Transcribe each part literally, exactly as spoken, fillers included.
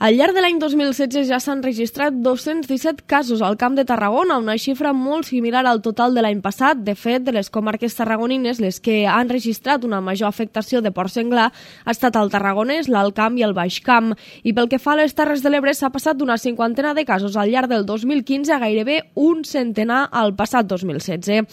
Al llarg de l'any dos mil setze ja s'han registrat dos-cents disset casos al Camp de Tarragona, una xifra molt similar al total de l'any passat. De fet, de les comarques tarragonines, les que han registrat una major afectació de porc senglar ha estat el Tarragonès, l'Alt Camp i el Baix Camp. I pel que fa a les Terres de l'Ebre, s'ha passat d'una cinquantena de casos al llarg del dos mil quinze a gairebé un centenar al passat dos mil setze.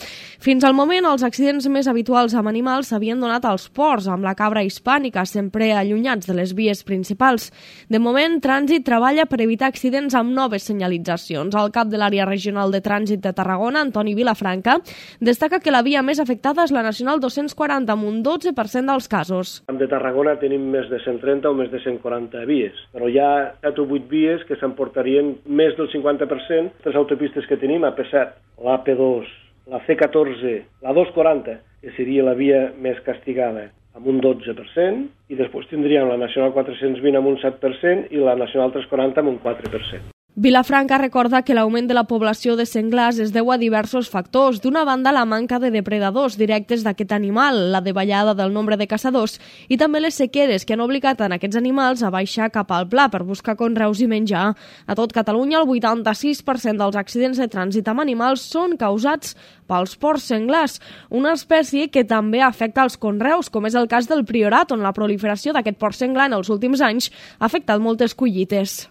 Fins al moment, els accidents més habituals amb animals s'havien donat als porcs, amb la cabra hispànica, sempre allunyats de les vies principals. De moment, Trànsit treballa per evitar accidents amb noves senyalitzacions. El cap de l'àrea regional de trànsit de Tarragona, Antoni Vilafranca, destaca que la via més afectada és la Nacional dos-cents quaranta, amb un dotze per cent dels casos. Al de Tarragona tenim més de cent trenta o més de cent quaranta vies, però hi ha set o vuit vies que s'emportarien més del cinquanta per cent. Les autopistes que tenim, A P set, l'A P dos, la C catorze, la dos quaranta, que seria la via més castigada, amb un dotze per cent, i després tindríem la Nacional quatre-cents vint amb un set per cent i la Nacional tres quaranta amb un quatre per cent. Vilafranca recorda que l'augment de la població de senglars es deu a diversos factors. D'una banda, la manca de depredadors directes d'aquest animal, la davallada del nombre de caçadors i també les sequeres que han obligat a aquests animals a baixar cap al pla per buscar conreus i menjar. A tot Catalunya, el vuitanta-sis per cent dels accidents de trànsit amb animals són causats pels porcs senglars, una espècie que també afecta els conreus, com és el cas del Priorat, on la proliferació d'aquest porc senglar en els últims anys ha afectat moltes collites.